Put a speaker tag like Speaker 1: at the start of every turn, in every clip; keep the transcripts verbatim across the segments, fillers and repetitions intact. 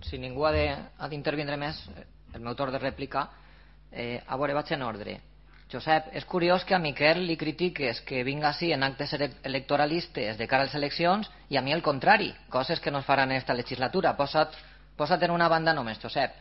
Speaker 1: si ningú ha d'intervindre més, el meu torn de rèplica, eh, a veure, vaig en ordre. Josep, és curiós que a Miquel li critiques que vinga així en actes electoralistes de cara a les eleccions i a mi el contrari, coses que no es faran en aquesta legislatura. Posa't, posa't en una banda només, Josep.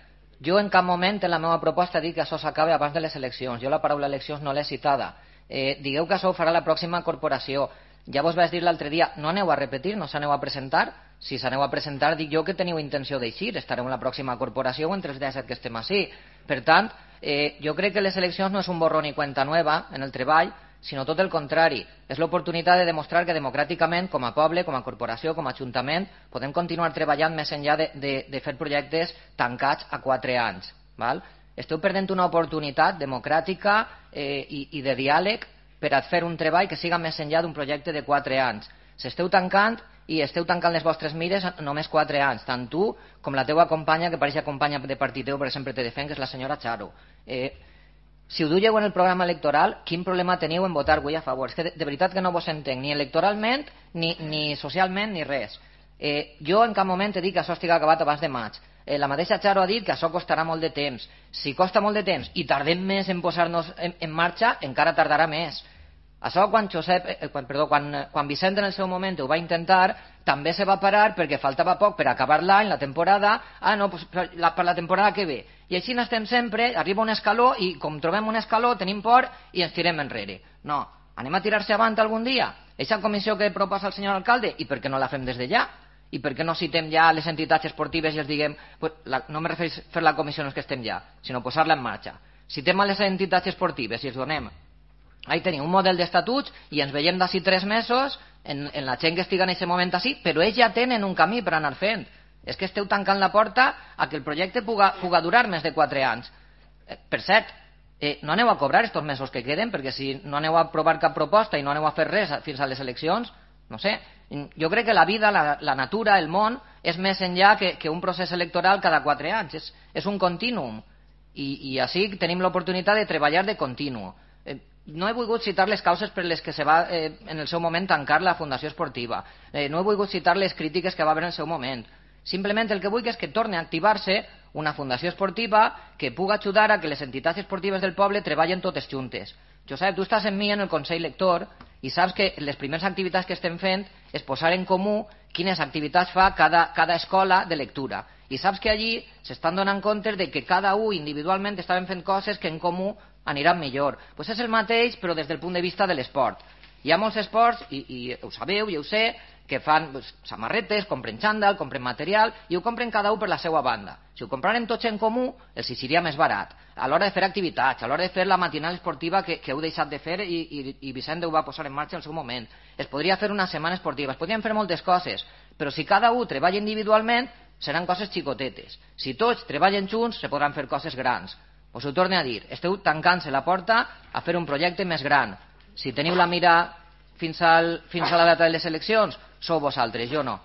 Speaker 1: Jo en cap moment en la meva proposta dic que això s'acabi abans de les eleccions. Jo la paraula eleccions no l'he citada. Eh, digueu que això ho farà la pròxima corporació. Ja vos vaig dir l'altre dia, no aneu a repetir, no s'aneu a presentar. Si s'aneu a presentar, dic jo que teniu intenció d'eixir, estareu en la pròxima corporació o entre els disset que estem així. Per tant, eh, jo crec que les eleccions no és un borrón i cuenta nueva en el treball, sinó tot el contrari. És l'oportunitat de demostrar que democràticament, com a poble, com a corporació, com a ajuntament, podem continuar treballant més enllà de, de, de fer projectes tancats a quatre anys. Val? Esteu perdent una oportunitat democràtica eh, i, i de diàleg per a fer un treball que siga més enllà d'un projecte de quatre anys. S'esteu tancant i esteu tancant les vostres mires només quatre anys, tant tu com la teua companya, que pareix companya de partit teu, perquè sempre te defen, que és la senyora Charo. Eh, si ho duieu en el programa electoral, quin problema teniu en votar avui a favor? És que de, de veritat que no vos entenc, ni electoralment, ni, ni socialment, ni res. Eh, jo en cap moment he dit que això estigui acabat abans de maig. Eh, la mateixa Charo ha dit que això costarà molt de temps. Si costa molt de temps i tardem més en posar-nos en, en marxa, encara tardarà més. Això quan, Josep, eh, quan, perdó, quan, quan Vicent en el seu moment ho va intentar, també se va parar perquè faltava poc per acabar l'any, la temporada. Ah, no, pues, per, la, per la temporada que ve. I així n'estem sempre, arriba un escaló i com trobem un escaló tenim por i ens tirem enrere. No, anem a tirar-se avant algun dia. Eixa comissió que proposa el senyor alcalde, i per què no la fem des de ja? I per què no citem ja les entitats esportives i els diguem, pues, la, no me refereix fer la comissió no és que estem ja, sinó posar-la en marxa. Citem a les entitats esportives i els donem, ahí tenim un model d'estatuts i ens veiem d'ací tres mesos en, en la gent que estigui en aquest moment així, però ells ja tenen un camí per anar fent. És que esteu tancant la porta a que el projecte puga, puga durar més de quatre anys. Eh, per cert, eh, no aneu a cobrar estos mesos que queden, perquè si no aneu a aprovar cap proposta i no aneu a fer res fins a les eleccions, no sé, jo crec que la vida, la, la natura, el món, és més enllà que, que un procés electoral cada quatre anys. És, és un contínuum. I, i així tenim l'oportunitat de treballar de continu. Eh, no he volgut citar les causes per les que se va eh, en el seu moment tancar la Fundació Esportiva. Eh, no he volgut citar les crítiques que va haver en el seu moment. Simplement el que vull és que torni a activar-se una fundació esportiva que puga ajudar a que les entitats esportives del poble treballen totes juntes. Josep, tu estàs amb mi en el Consell Lector i saps que les primeres activitats que estem fent és posar en comú quines activitats fa cada, cada escola de lectura. I saps que allí s'estan donant compte de que cada un individualment estaven fent coses que en comú aniran millor. Pues és el mateix, però des del punt de vista de l'esport. Hi ha molts esports, i, i ho sabeu, i ho sé, que fan pues, samarretes, compren xandall, compren material, i ho compren cada un per la seva banda. Si ho compraren tots en comú, els hi seria més barat. A l'hora de fer activitats, a l'hora de fer la matinal esportiva que, que heu deixat de fer i, i, i Vicent ho va posar en marxa en el seu moment. Es podria fer una setmana esportiva, es podrien fer moltes coses, però si cada un treballa individualment, seran coses xicotetes. Si tots treballen junts, se podran fer coses grans. Us ho torno a dir, esteu tancant-se la porta a fer un projecte més gran. Si teniu la mira fins, al, fins a la data de les eleccions, sou vosaltres, jo no.